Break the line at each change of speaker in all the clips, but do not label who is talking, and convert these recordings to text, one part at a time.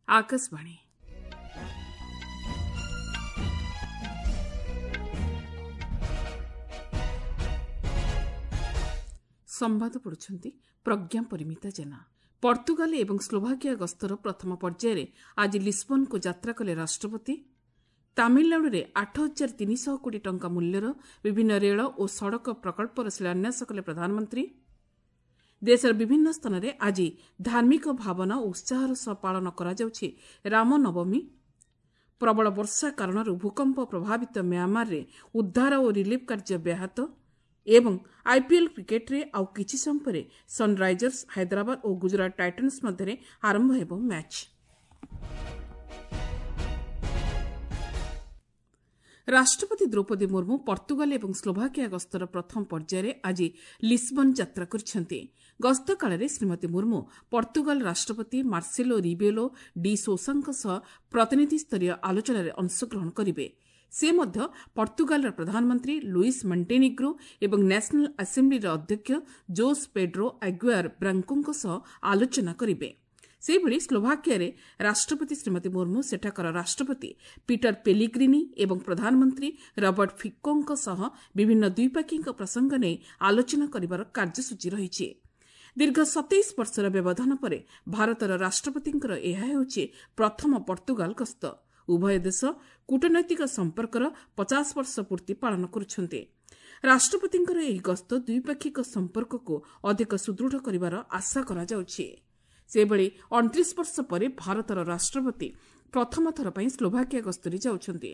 ଆକାଶବାଣୀ। ସମ୍ବାଦ ପଢ଼ୁଛନ୍ତି ପ୍ରଜ୍ଞା ପରିମିତା ଜେନା। ପର୍ତ୍ତୁଗାଲ ଏବଂ ସ୍ଲୋଭାକିଆ ଗସ୍ତର ପ୍ରଥମ ପର୍ଯ୍ୟାୟରେ ଆଜି ଲିସ୍ବନ୍କୁ ଯାତ୍ରା କଲେ ରାଷ୍ଟ୍ରପତି। ତାମିଲନାଡୁରେ 8300 କୋଟି ଟଙ୍କା ମୂଲ୍ୟର ବିଭିନ୍ନ ରେଳ ଓ ସଡ଼କ ପ୍ରକଳ୍ପର ଶିଳାନ୍ୟାସ କଲେ ପ୍ରଧାନମନ୍ତ୍ରୀ। ଦେଶର ବିଭିନ୍ନ ସ୍ଥାନରେ ଆଜି ଧାର୍ମିକ ଭାବନା ଓ ଉତ୍ସାହର ସହ ପାଳନ କରାଯାଉଛି ରାମନବମୀ। ପ୍ରବଳ ବର୍ଷା କାରଣରୁ ଭୂକମ୍ପ ପ୍ରଭାବିତ ମ୍ୟାଁମାରରେ ଉଦ୍ଧାର ଓ ରିଲିଫ୍ କାର୍ଯ୍ୟ ବ୍ୟାହତ। ଏବଂ ଆଇପିଏଲ୍ କ୍ରିକେଟ୍ରେ ଆଉ କିଛି ସମୟ ପରେ ସନ୍ରାଇଜର୍ସ ହାଇଦ୍ରାବାଦ ଓ ଗୁଜରାଟ ଟାଇଟନ୍ସ ମଧ୍ୟରେ ଆରମ୍ଭ ହେବ ମ୍ୟାଚ୍। ରାଷ୍ଟ୍ରପତି ଦ୍ରୌପଦୀ ମୁର୍ମୁ ପର୍ତ୍ତୁଗାଲ ଏବଂ ସ୍ଲୋଭାକିଆ ଗସ୍ତର ପ୍ରଥମ ପର୍ଯ୍ୟାୟରେ ଆଜି ଲିସ୍ବନ୍ ଯାତ୍ରା କରିଛନ୍ତି। ଗସ୍ତ କାଳରେ ଶ୍ରୀମତୀ ମୁର୍ମୁ ପର୍ତ୍ତୁଗାଲ ରାଷ୍ଟ୍ରପତି ମାର୍ସେଲୋ ରିବେଲୋ ଡି ସୋସାଙ୍କ ସହ ପ୍ରତିନିଧିସ୍ତରୀୟ ଆଲୋଚନାରେ ଅଂଶଗ୍ରହଣ କରିବେ। ସେ ମଧ୍ୟ ପର୍ତ୍ତୁଗାଲର ପ୍ରଧାନମନ୍ତ୍ରୀ ଲୁଇସ୍ ମଣ୍ଟେନିଗ୍ରୋ ଏବଂ ନ୍ୟାସନାଲ୍ ଆସେମ୍ବ୍ଲିର ଅଧ୍ୟକ୍ଷ ଜୋସ୍ ପେଡ୍ରୋ ଆଗୁଆର ବ୍ରାଙ୍କୋଙ୍କ ସହ ଆଲୋଚନା କରିବେ। ସେହିଭଳି ସ୍ଲୋଭାକିଆରେ ରାଷ୍ଟ୍ରପତି ଶ୍ରୀମତୀ ମୁର୍ମୁ ସେଠାକାର ରାଷ୍ଟ୍ରପତି ପିଟର ପେଲିଗ୍ରିନି ଏବଂ ପ୍ରଧାନମନ୍ତ୍ରୀ ରବର୍ଟ ଫିକୋଙ୍କ ସହ ବିଭିନ୍ନ ଦ୍ୱିପାକ୍ଷିକ ପ୍ରସଙ୍ଗ ନେଇ ଆଲୋଚନା କରିବାର କାର୍ଯ୍ୟସୂଚୀ ରହିଛି। ଦୀର୍ଘ 27 ବର୍ଷର ବ୍ୟବଧାନ ପରେ ଭାରତର ରାଷ୍ଟ୍ରପତିଙ୍କର ଏହା ହେଉଛି ପ୍ରଥମ ପର୍ତ୍ତୁଗାଲ ଗସ୍ତ। ଉଭୟ ଦେଶ କୂଟନୈତିକ ସମ୍ପର୍କର 50 ବର୍ଷ ପୂର୍ତ୍ତି ପାଳନ କରୁଛନ୍ତି। ରାଷ୍ଟ୍ରପତିଙ୍କର ଏହି ଗସ୍ତ ଦ୍ୱିପାକ୍ଷିକ ସମ୍ପର୍କକୁ ଅଧିକ ସୁଦୃଢ଼ କରିବାର ଆଶା କରାଯାଉଛି। ସେହିଭଳି 29 ବର୍ଷ ପରେ ଭାରତର ରାଷ୍ଟ୍ରପତି ପ୍ରଥମ ଥର ପାଇଁ ସ୍ଲୋଭାକିଆ ଗସ୍ତରେ ଯାଉଛନ୍ତି।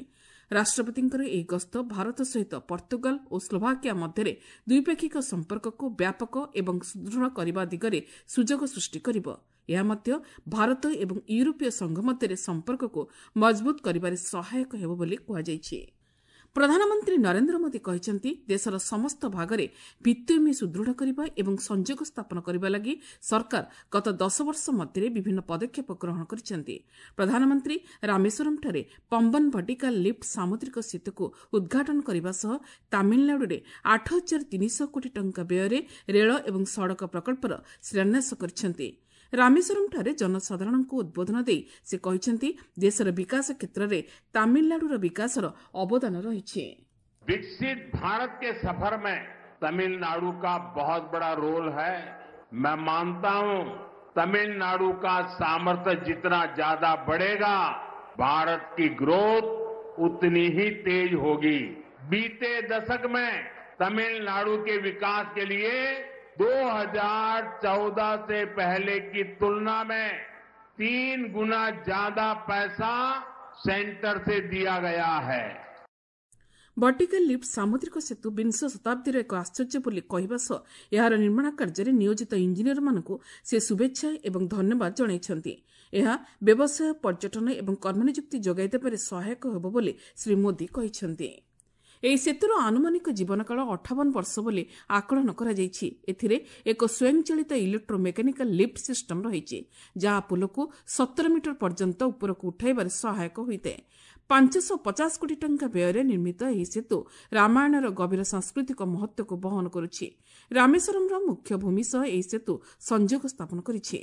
ରାଷ୍ଟ୍ରପତିଙ୍କର ଏହି ଗସ୍ତ ଭାରତ ସହିତ ପର୍ତ୍ତୁଗାଲ ଓ ସ୍ଲୋଭାକିଆ ମଧ୍ୟରେ ଦ୍ୱିପାକ୍ଷିକ ସମ୍ପର୍କକୁ ବ୍ୟାପକ ଏବଂ ସୁଦୃଢ଼ କରିବା ଦିଗରେ ସୁଯୋଗ ସୃଷ୍ଟି କରିବ। ଏହା ମଧ୍ୟ ଭାରତ ଏବଂ ୟୁରୋପୀୟ ସଂଘ ମଧ୍ୟରେ ସମ୍ପର୍କକୁ ମଜବୁତ କରିବାରେ ସହାୟକ ହେବ ବୋଲି କୁହାଯାଇଛି। ପ୍ରଧାନମନ୍ତ୍ରୀ ନରେନ୍ଦ୍ର ମୋଦି କହିଛନ୍ତି, ଦେଶର ସମସ୍ତ ଭାଗରେ ଭିତ୍ତିଭୂମି ସୁଦୃଢ଼ କରିବା ଏବଂ ସଂଯୋଗ ସ୍ଥାପନ କରିବା ଲାଗି ସରକାର ଗତ 10 ବର୍ଷ ମଧ୍ୟରେ ବିଭିନ୍ନ ପଦକ୍ଷେପ ଗ୍ରହଣ କରିଛନ୍ତି। ପ୍ରଧାନମନ୍ତ୍ରୀ ରାମେଶ୍ୱରମ୍ଠାରେ ପମ୍ବନ ଭର୍ଟିକାଲ ଲିଫ୍ଟ ସାମୁଦ୍ରିକ ସେତୁକୁ ଉଦ୍ଘାଟନ କରିବା ସହ ତାମିଲନାଡୁରେ 8300 କୋଟି ଟଙ୍କା ବ୍ୟୟରେ ରେଳ ଏବଂ ସଡ଼କ ପ୍ରକଳ୍ପର ଶିଳାନ୍ୟାସ କରିଛନ୍ତି। ରାମେଶ୍ୱରମ୍ଠାରେ ଜନସାଧାରଣଙ୍କୁ ଉଦ୍ବୋଧନ ଦେଇ ସେ କହିଛନ୍ତି, ଦେଶର ବିକାଶ କ୍ଷେତ୍ରରେ ତାମିଲନାଡୁର ବିକାଶର ଅବଦାନ ରହିଛି।
विकसित भारत के सफर में तमिलनाडु का बहुत बड़ा रोल है। मैं मानता हूं तमिलनाडु का सामर्थ्य जितना ज्यादा बढ़ेगा, भारत की ग्रोथ उतनी ही तेज होगी। बीते दशक में तमिलनाडु के विकास के लिए 2014 से पहले की तुलना में 3 गुना ज्यादा पैसा सेंटर से दिया गया है।
ଭର୍ଟିକାଲ ଲିଫ୍ଟ ସାମୁଦ୍ରିକ ସେତୁ ବିଂଶ ଶତାବ୍ଦୀର ଏକ ଆଶ୍ଚର୍ଯ୍ୟ ବୋଲି କହିବା ସହ ଏହାର ନିର୍ମାଣ କାର୍ଯ୍ୟରେ ନିୟୋଜିତ ଇଞ୍ଜିନିୟରମାନଙ୍କୁ ସେ ଶୁଭେଚ୍ଛା ଏବଂ ଧନ୍ୟବାଦ ଜଣାଇଛନ୍ତି। ଏହା ବ୍ୟବସାୟ, ପର୍ଯ୍ୟଟନ ଏବଂ କର୍ମନିଯୁକ୍ତି ଯୋଗାଇ ଦେବାରେ ସହାୟକ ହେବ ବୋଲି ଶ୍ରୀ ମୋଦି କହିଛନ୍ତି। ଏହି ସେତୁର ଆନୁମାନିକ ଜୀବନକାଳ 58 ବର୍ଷ ବୋଲି ଆକଳନ କରାଯାଇଛି। ଏଥିରେ ଏକ ସ୍ୱୟଂଚାଳିତ ଇଲେକ୍ଟ୍ରୋ ମେକାନିକାଲ ଲିଫ୍ଟ ସିଷ୍ଟମ ରହିଛି, ଯାହା ପୋଲକୁ 17 ମିଟର ପର୍ଯ୍ୟନ୍ତ ଉପରକୁ ଉଠାଇବାରେ ସହାୟକ ହୋଇଥାଏ। 550 କୋଟି ଟଙ୍କା ବ୍ୟୟରେ ନିର୍ମିତ ଏହି ସେତୁ ରାମାୟଣର ଗଭୀର ସାଂସ୍କୃତିକ ମହତ୍ତ୍ୱକୁ ବହନ କରୁଛି। ରାମେଶ୍ୱରମ୍ର ମୁଖ୍ୟ ଭୂମି ସହ ଏହି ସେତୁ ସଂଯୋଗ ସ୍ଥାପନ କରିଛି।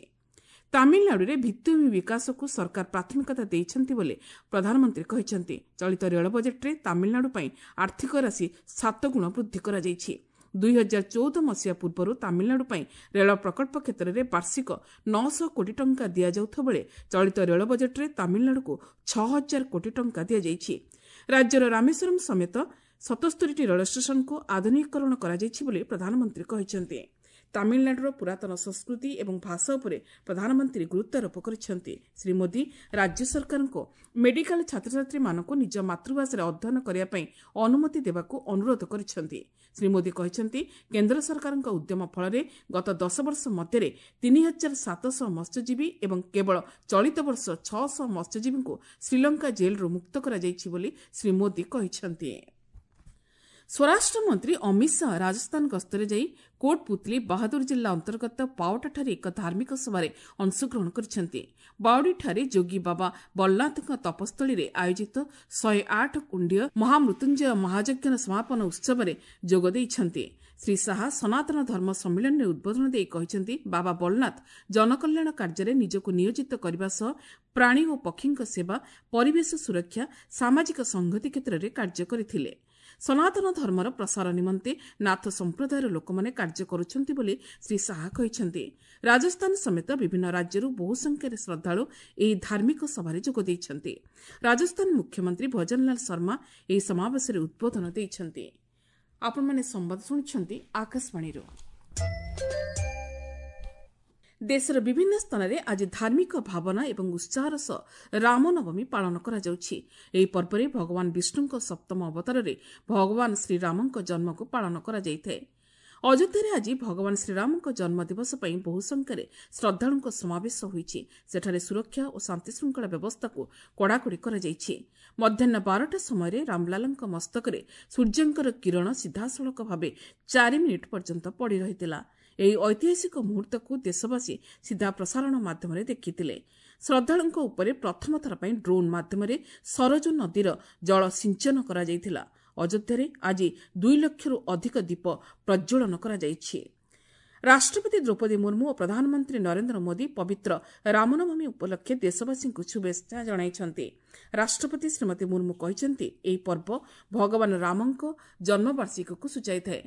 ତାମିଲନାଡୁରେ ଭିତ୍ତିଭୂମି ବିକାଶକୁ ସରକାର ପ୍ରାଥମିକତା ଦେଇଛନ୍ତି ବୋଲି ପ୍ରଧାନମନ୍ତ୍ରୀ କହିଛନ୍ତି। ଚଳିତ ରେଳ ବଜେଟ୍ରେ ତାମିଲନାଡୁ ପାଇଁ ଆର୍ଥିକ ରାଶି 7 ଗୁଣ ବୃଦ୍ଧି କରାଯାଇଛି। 2014 ମସିହା ପୂର୍ବରୁ ତାମିଲନାଡୁ ପାଇଁ ରେଳ ପ୍ରକଳ୍ପ କ୍ଷେତ୍ରରେ ବାର୍ଷିକ 900 କୋଟି ଟଙ୍କା ଦିଆଯାଉଥିବା ବେଳେ ଚଳିତ ରେଳ ବଜେଟ୍ରେ ତାମିଲନାଡୁକୁ 6000 କୋଟି ଟଙ୍କା ଦିଆଯାଇଛି। ରାଜ୍ୟର ରାମେଶ୍ୱରମ୍ ସମେତ 77ଟି ରେଳ ଷ୍ଟେସନକୁ ଆଧୁନିକୀକରଣ କରାଯାଇଛି ବୋଲି ପ୍ରଧାନମନ୍ତ୍ରୀ କହିଛନ୍ତି। ତାମିଲନାଡୁର ପୁରାତନ ସଂସ୍କୃତି ଏବଂ ଭାଷା ଉପରେ ପ୍ରଧାନମନ୍ତ୍ରୀ ଗୁରୁତ୍ୱାରୋପ କରିଛନ୍ତି। ଶ୍ରୀ ମୋଦି ରାଜ୍ୟ ସରକାରଙ୍କୁ ମେଡିକାଲ ଛାତ୍ରଛାତ୍ରୀମାନଙ୍କୁ ନିଜ ମାତୃଭାଷାରେ ଅଧ୍ୟୟନ କରିବା ପାଇଁ ଅନୁମତି ଦେବାକୁ ଅନୁରୋଧ କରିଛନ୍ତି। ଶ୍ରୀ ମୋଦି କହିଛନ୍ତି, କେନ୍ଦ୍ର ସରକାରଙ୍କ ଉଦ୍ୟମ ଫଳରେ ଗତ 10 ବର୍ଷ ମଧ୍ୟରେ 3700 ମତ୍ସ୍ୟଜୀବୀ ଏବଂ କେବଳ ଚଳିତ ବର୍ଷ 600 ମତ୍ସ୍ୟଜୀବୀଙ୍କୁ ଶ୍ରୀଲଙ୍କା ଜେଲ୍ରୁ ମୁକ୍ତ କରାଯାଇଛି ବୋଲି ଶ୍ରୀ ମୋଦି କହିଛନ୍ତି। ସ୍ୱରାଷ୍ଟ୍ରମନ୍ତ୍ରୀ ଅମିତ ଶାହା ରାଜସ୍ଥାନ ଗସ୍ତରେ ଯାଇ କୋଟପୁତଲି ବାହାଦୁର ଜିଲ୍ଲା ଅନ୍ତର୍ଗତ ପାଓଟାଠାରେ ଏକ ଧାର୍ମିକ ସଭାରେ ଅଂଶଗ୍ରହଣ କରିଛନ୍ତି। ବାଉଡ଼ିଠାରେ ଯୋଗୀ ବାବା ବଲନାଥଙ୍କ ତପସ୍ଥଳୀରେ ଆୟୋଜିତ 108 କୁଣ୍ଡୀୟ ମହାମୃତ୍ୟୁଞ୍ଜୟ ମହାଯଜ୍ଞର ସମାପନ ଉତ୍ସବରେ ଯୋଗ ଦେଇଛନ୍ତି। ଶ୍ରୀ ଶାହା ସନାତନ ଧର୍ମ ସମ୍ମିଳନୀରେ ଉଦ୍ବୋଧନ ଦେଇ କହିଛନ୍ତି, ବାବା ବଲନାଥ ଜନକଲ୍ୟାଣ କାର୍ଯ୍ୟରେ ନିଜକୁ ନିୟୋଜିତ କରିବା ସହ ପ୍ରାଣୀ ଓ ପକ୍ଷୀଙ୍କ ସେବା, ପରିବେଶ ସୁରକ୍ଷା, ସାମାଜିକ ସଂହତି କ୍ଷେତ୍ରରେ କାର୍ଯ୍ୟ କରିଥିଲେ। ସନାତନ ଧର୍ମର ପ୍ରସାର ନିମନ୍ତେ ନାଥ ସମ୍ପ୍ରଦାୟର ଲୋକମାନେ କାର୍ଯ୍ୟ କରୁଛନ୍ତି ବୋଲି ଶ୍ରୀ ଶାହା କହିଛନ୍ତି। ରାଜସ୍ଥାନ ସମେତ ବିଭିନ୍ନ ରାଜ୍ୟରୁ ବହୁ ସଂଖ୍ୟାରେ ଶ୍ରଦ୍ଧାଳୁ ଏହି ଧାର୍ମିକ ସଭାରେ ଯୋଗ ଦେଇଛନ୍ତି। ରାଜସ୍ଥାନ ମୁଖ୍ୟମନ୍ତ୍ରୀ ଭଜନଲାଲ ଶର୍ମା ଏହି ସମାବେଶରେ ଉଦ୍ବୋଧନ ଦେଇଛନ୍ତି। ଆପଣମାନେ ସମ୍ବାଦ ଶୁଣୁଛନ୍ତି ଆକାଶବାଣୀରୁ। ଦେଶର ବିଭିନ୍ନ ସ୍ଥାନରେ ଆଜି ଧାର୍ମିକ ଭାବନା ଏବଂ ଉତ୍ସାହର ସହ ରାମନବମୀ ପାଳନ କରାଯାଉଛି। ଏହି ପର୍ବରେ ଭଗବାନ ବିଷ୍ଣୁଙ୍କ ସପ୍ତମ ଅବତାରରେ ଭଗବାନ ଶ୍ରୀରାମଙ୍କ ଜନ୍ମକୁ ପାଳନ କରାଯାଇଥାଏ। ଅଯୋଧ୍ୟାରେ ଆଜି ଭଗବାନ ଶ୍ରୀରାମଙ୍କ ଜନ୍ମଦିବସ ପାଇଁ ବହୁ ସଂଖ୍ୟାରେ ଶ୍ରଦ୍ଧାଳୁଙ୍କ ସମାବେଶ ହୋଇଛି। ସେଠାରେ ସୁରକ୍ଷା ଓ ଶାନ୍ତିଶୃଙ୍ଖଳା ବ୍ୟବସ୍ଥାକୁ କଡ଼ାକଡ଼ି କରାଯାଇଛି। ମଧ୍ୟାହ୍ନ 12ଟା ସମୟରେ ରାମଲାଲାଙ୍କ ମସ୍ତକରେ ସୂର୍ଯ୍ୟଙ୍କର କିରଣ ସିଧାସଳଖ ଭାବେ 4 ମିନିଟ୍ ପର୍ଯ୍ୟନ୍ତ ପଡ଼ି ରହିଥିଲା। ଏହି ଐତିହାସିକ ମୁହୂର୍ତ୍ତକୁ ଦେଶବାସୀ ସିଧା ପ୍ରସାରଣ ମାଧ୍ୟମରେ ଦେଖିଥିଲେ। ଶ୍ରଦ୍ଧାଳୁଙ୍କ ଉପରେ ପ୍ରଥମ ଥର ପାଇଁ ଡ୍ରୋନ୍ ମାଧ୍ୟମରେ ସରଜୁ ନଦୀର ଜଳ ସିଞ୍ଚନ କରାଯାଇଥିଲା। ଅଯୋଧ୍ୟାରେ ଆଜି 2 ଲକ୍ଷରୁ ଅଧିକ ଦୀପ ପ୍ରଜ୍ୱଳନ କରାଯାଇଛି। ରାଷ୍ଟ୍ରପତି ଦ୍ରୌପଦୀ ମୁର୍ମୁ ଓ ପ୍ରଧାନମନ୍ତ୍ରୀ ନରେନ୍ଦ୍ର ମୋଦି ପବିତ୍ର ରାମନବମୀ ଉପଲକ୍ଷେ ଦେଶବାସୀଙ୍କୁ ଶୁଭେଚ୍ଛା ଜଣାଇଛନ୍ତି। ରାଷ୍ଟ୍ରପତି ଶ୍ରୀମତୀ ମୁର୍ମୁ କହିଛନ୍ତି, ଏହି ପର୍ବ ଭଗବାନ ରାମଙ୍କ ଜନ୍ମବାର୍ଷିକୀକୁ ସୂଚାଇଥାଏ।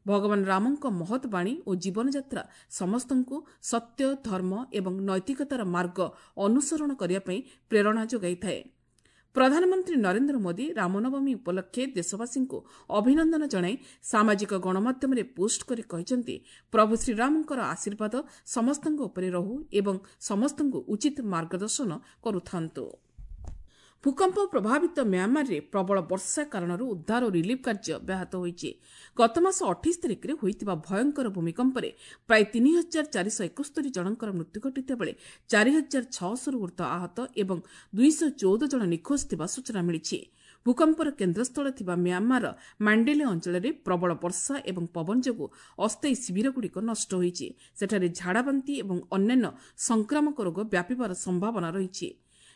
ଭଗବାନ ରାମଙ୍କ ମହତ୍ ବାଣୀ ଓ ଜୀବନଯାତ୍ରା ସମସ୍ତଙ୍କୁ ସତ୍ୟ, ଧର୍ମ ଏବଂ ନୈତିକତାର ମାର୍ଗ ଅନୁସରଣ କରିବା ପାଇଁ ପ୍ରେରଣା ଯୋଗାଇଥାଏ। ପ୍ରଧାନମନ୍ତ୍ରୀ ନରେନ୍ଦ୍ର ମୋଦି ରାମନବମୀ ଉପଲକ୍ଷେ ଦେଶବାସୀଙ୍କୁ ଅଭିନନ୍ଦନ ଜଣାଇ ସାମାଜିକ ଗଣମାଧ୍ୟମରେ ପୋଷ୍ଟ କରି କହିଛନ୍ତି, ପ୍ରଭୁ ଶ୍ରୀରାମଙ୍କର ଆଶୀର୍ବାଦ ସମସ୍ତଙ୍କ ଉପରେ ରହୁ ଏବଂ ସମସ୍ତଙ୍କୁ ଉଚିତ ମାର୍ଗଦର୍ଶନ କରୁଥାନ୍ତୁ। ଭୂକମ୍ପ ପ୍ରଭାବିତ ମ୍ୟାଁମାରରେ ପ୍ରବଳ ବର୍ଷା କାରଣରୁ ଉଦ୍ଧାର ଓ ରିଲିଫ୍ କାର୍ଯ୍ୟ ବ୍ୟାହତ ହୋଇଛି। ଗତମାସ 28 ତାରିଖରେ ହୋଇଥିବା ଭୟଙ୍କର ଭୂମିକମ୍ପରେ ପ୍ରାୟ 3471 ଜଣଙ୍କର ମୃତ୍ୟୁ ଘଟିଥିବା ବେଳେ 4600ରୁ ଉର୍ଦ୍ଧ୍ୱ ଆହତ ଏବଂ 214 ଜଣ ନିଖୋଜ ଥିବା ସୂଚନା ମିଳିଛି। ଭୂକମ୍ପର କେନ୍ଦ୍ରସ୍ଥଳ ଥିବା ମ୍ୟାଁମାରର ମାଣ୍ଡେଲେ ଅଞ୍ଚଳରେ ପ୍ରବଳ ବର୍ଷା ଏବଂ ପବନ ଯୋଗୁଁ ଅସ୍ଥାୟୀ ଶିବିରଗୁଡ଼ିକ ନଷ୍ଟ ହୋଇଛି। ସେଠାରେ ଝାଡ଼ାବାନ୍ତି ଏବଂ ଅନ୍ୟାନ୍ୟ ସଂକ୍ରାମକ ରୋଗ ବ୍ୟାପିବାର ସମ୍ଭାବନା ରହିଛି।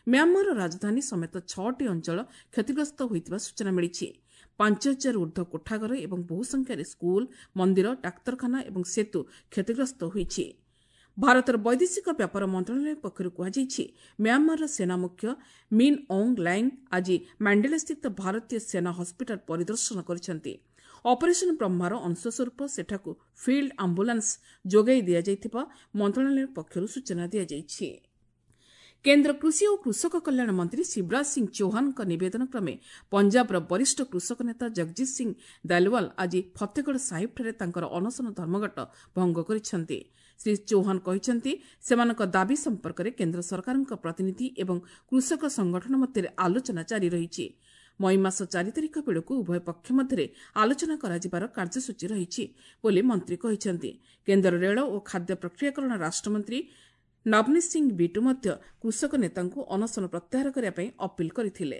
ମ୍ୟାଁମାରର ରାଜଧାନୀ ସମେତ 6ଟି ଅଞ୍ଚଳ କ୍ଷତିଗ୍ରସ୍ତ ହୋଇଥିବା ସୂଚନା ମିଳିଛି। 5000 ଉର୍ଦ୍ଧ୍ୱ କୋଠାଘର ଏବଂ ବହୁ ସଂଖ୍ୟାରେ ସ୍କୁଲ, ମନ୍ଦିର, ଡାକ୍ତରଖାନା ଏବଂ ସେତୁ କ୍ଷତିଗ୍ରସ୍ତ ହୋଇଛି। ଭାରତର ବୈଦେଶିକ ବ୍ୟାପାର ମନ୍ତ୍ରଣାଳୟ ପକ୍ଷରୁ କୁହାଯାଇଛି, ମ୍ୟାଁମାରର ସେନା ମୁଖ୍ୟ ମିନ୍ ଅଙ୍ଗ ଲାଇଙ୍ଗ ଆଜି ମାଣ୍ଡେଲାସ୍ଥିତ ଭାରତୀୟ ସେନା ହସ୍ପିଟାଲ ପରିଦର୍ଶନ କରିଛନ୍ତି। ଅପରେସନ୍ ବ୍ରହ୍ମାର ଅଂଶସ୍ୱରୂପ ସେଠାକୁ ଫିଲ୍ଡ ଆମ୍ବୁଲାନ୍ସ ଯୋଗାଇ ଦିଆଯାଇଥିବା ମନ୍ତ୍ରଣାଳୟ ପକ୍ଷରୁ ସୂଚନା ଦିଆଯାଇଛି। କେନ୍ଦ୍ର କୃଷି ଓ କୃଷକ କଲ୍ୟାଣ ମନ୍ତ୍ରୀ ଶିବରାଜ ସିଂ ଚୌହାନଙ୍କ ନିବେଦନ କ୍ରମେ ପଞ୍ଜାବର ବରିଷ୍ଠ କୃଷକ ନେତା ଜଗଜିତ୍ ସିଂ ଦାଲିୱାଲ ଆଜି ଫତେଗଡ଼ ସାହିବଠାରେ ତାଙ୍କର ଅନଶନ ଧର୍ମଘଟ ଭଙ୍ଗ କରିଛନ୍ତି। ଶ୍ରୀ ଚୌହାନ କହିଛନ୍ତି, ସେମାନଙ୍କ ଦାବି ସମ୍ପର୍କରେ କେନ୍ଦ୍ର ସରକାରଙ୍କ ପ୍ରତିନିଧି ଏବଂ କୃଷକ ସଂଗଠନ ମଧ୍ୟରେ ଆଲୋଚନା ଜାରି ରହିଛି। ମଇ ମାସ 4 ତାରିଖ ବେଳକୁ ଉଭୟ ପକ୍ଷ ମଧ୍ୟରେ ଆଲୋଚନା କରାଯିବାର କାର୍ଯ୍ୟସୂଚୀ ରହିଛି ବୋଲି ମନ୍ତ୍ରୀ କହିଛନ୍ତି। କେନ୍ଦ୍ର ରେଳ ଓ ଖାଦ୍ୟ ପ୍ରକ୍ରିୟାକରଣ ରାଷ୍ଟ୍ରମନ୍ତ୍ରୀ ନବନୀତ ସିଂ ବିଟୁ ମଧ୍ୟ କୃଷକ ନେତାଙ୍କୁ ଅନଶନ ପ୍ରତ୍ୟାହାର କରିବା ପାଇଁ ଅପିଲ କରିଥିଲେ।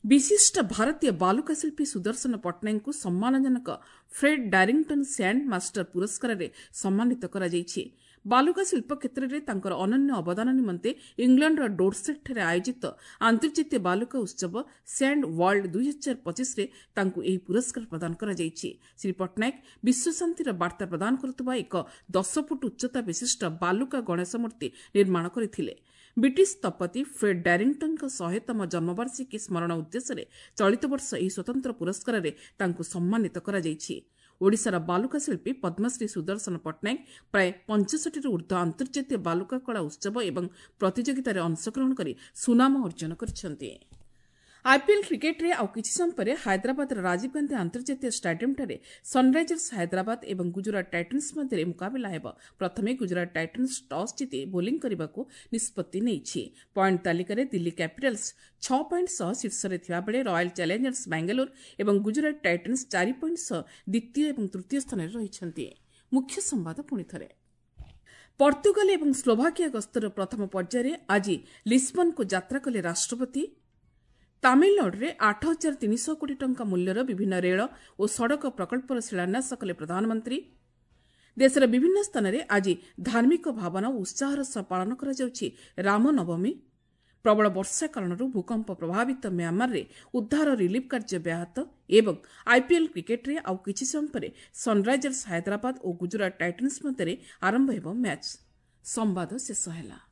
ବିଶିଷ୍ଟ ଭାରତୀୟ ବାଲୁକା ଶିଳ୍ପୀ ସୁଦର୍ଶନ ପଟ୍ଟନାୟକଙ୍କୁ ସମ୍ମାନଜନକ ଫ୍ରେଡ୍ ଡାରିଂଟନ୍ ସ୍ୟାଣ୍ଡ ମାଷ୍ଟର ପୁରସ୍କାରରେ ସମ୍ମାନିତ କରାଯାଇଛି। ବାଲୁକା ଶିଳ୍ପ କ୍ଷେତ୍ରରେ ତାଙ୍କର ଅନନ୍ୟ ଅବଦାନ ନିମନ୍ତେ ଇଂଲଣ୍ଡର ଡୋରସେଟ୍ଠାରେ ଆୟୋଜିତ ଆନ୍ତର୍ଜାତୀୟ ବାଲୁକା ଉତ୍ସବ ସ୍ୟାଣ୍ଡ ୱାର୍ଲଡ 2025ରେ ତାଙ୍କୁ ଏହି ପୁରସ୍କାର ପ୍ରଦାନ କରାଯାଇଛି। ଶ୍ରୀ ପଟ୍ଟନାୟକ ବିଶ୍ୱଶାନ୍ତିର ବାର୍ତ୍ତା ପ୍ରଦାନ କରୁଥିବା ଏକ 10 ଫୁଟ ଉଚ୍ଚତା ବିଶିଷ୍ଟ ବାଲୁକା ଗଣେଶ ମୂର୍ତ୍ତି ନିର୍ମାଣ କରିଥିଲେ। ବ୍ରିଟିଶ ସ୍ଥପତି ଫ୍ରେଡ୍ ଡାରିଂଟନ୍ଙ୍କ 100ତମ ଜନ୍ମବାର୍ଷିକୀ ସ୍ମରଣ ଉଦ୍ଦେଶ୍ୟରେ ଚଳିତ ବର୍ଷ ଏହି ସ୍ୱତନ୍ତ୍ର ପୁରସ୍କାରରେ ତାଙ୍କୁ ସମ୍ମାନିତ କରାଯାଇଛି। ଓଡ଼ିଶାର ବାଲୁକା ଶିଳ୍ପୀ ପଦ୍ମଶ୍ରୀ ସୁଦର୍ଶନ ପଟ୍ଟନାୟକ ପ୍ରାୟ 65ରୁ ଉର୍ଦ୍ଧ୍ୱ ଆନ୍ତର୍ଜାତୀୟ ବାଲୁକା କଳା ଉତ୍ସବ ଏବଂ ପ୍ରତିଯୋଗିତାରେ ଅଂଶଗ୍ରହଣ କରି ସୁନାମ ଅର୍ଜନ କରିଛନ୍ତି। ଆଇପିଏଲ୍ କ୍ରିକେଟ୍ରେ ଆଉ କିଛି ସମୟ ପରେ ହାଇଦ୍ରାବାଦର ରାଜୀବ ଗାନ୍ଧୀ ଆନ୍ତର୍ଜାତୀୟ ଷ୍ଟାଡିୟମ୍ଠାରେ ସନ୍ରାଇଜର୍ସ ହାଇଦ୍ରାବାଦ ଏବଂ ଗୁଜରାଟ ଟାଇଟନ୍ସ ମଧ୍ୟରେ ମୁକାବିଲା ହେବ। ପ୍ରଥମେ ଗୁଜରାଟ ଟାଇଟନ୍ସ ଟସ୍ ଜିତି ବୋଲିଂ କରିବାକୁ ନିଷ୍ପତ୍ତି ନେଇଛି। ପଏଣ୍ଟ ତାଲିକାରେ ଦିଲ୍ଲୀ କ୍ୟାପିଟାଲ୍ସ 6 ପଏଣ୍ଟ ସହ ଶୀର୍ଷରେ ଥିବାବେଳେ ରୟାଲ୍ ଚ୍ୟାଲେଞ୍ଜର୍ସ ବାଙ୍ଗାଲୋର ଏବଂ ଗୁଜରାଟ ଟାଇଟନ୍ସ 4 ପଏଣ୍ଟ ସହ ଦ୍ୱିତୀୟ ଏବଂ ତୃତୀୟ ସ୍ଥାନରେ ରହିଛନ୍ତି। ମୁଖ୍ୟ ସମ୍ବାଦ ପୁଣିଥରେ। ପର୍ତ୍ତୁଗାଲ ଏବଂ ସ୍ଲୋଭାକିଆ ଗସ୍ତର ପ୍ରଥମ ପର୍ଯ୍ୟାୟରେ ଆଜି ଲିସ୍ବନକୁ ଯାତ୍ରା କଲେ ରାଷ୍ଟ୍ରପତି। ତାମିଲନାଡୁରେ 8300 କୋଟି ଟଙ୍କା ମୂଲ୍ୟର ବିଭିନ୍ନ ରେଳ ଓ ସଡ଼କ ପ୍ରକଳ୍ପର ଶିଳାନ୍ୟାସ କଲେ ପ୍ରଧାନମନ୍ତ୍ରୀ। ଦେଶର ବିଭିନ୍ନ ସ୍ଥାନରେ ଆଜି ଧାର୍ମିକ ଭାବନା ଓ ଉତ୍ସାହର ସହ ପାଳନ କରାଯାଉଛି ରାମନବମୀ। ପ୍ରବଳ ବର୍ଷା କାରଣରୁ ଭୂକମ୍ପ ପ୍ରଭାବିତ ମ୍ୟାଁମାରରେ ଉଦ୍ଧାର ରିଲିଫ୍ କାର୍ଯ୍ୟ ବ୍ୟାହତ ଏବଂ ଆଇପିଏଲ୍ କ୍ରିକେଟ୍ରେ ଆଉ କିଛି ସମୟ ପରେ ସନ୍ରାଇଜର୍ସ ହାଇଦ୍ରାବାଦ ଓ ଗୁଜରାଟ ଟାଇଟନ୍ସ ମଧ୍ୟରେ ଆରମ୍ଭ ହେବ ମ୍ୟାଚ୍। ସମ୍ବାଦ ଶେଷ ହେଲା।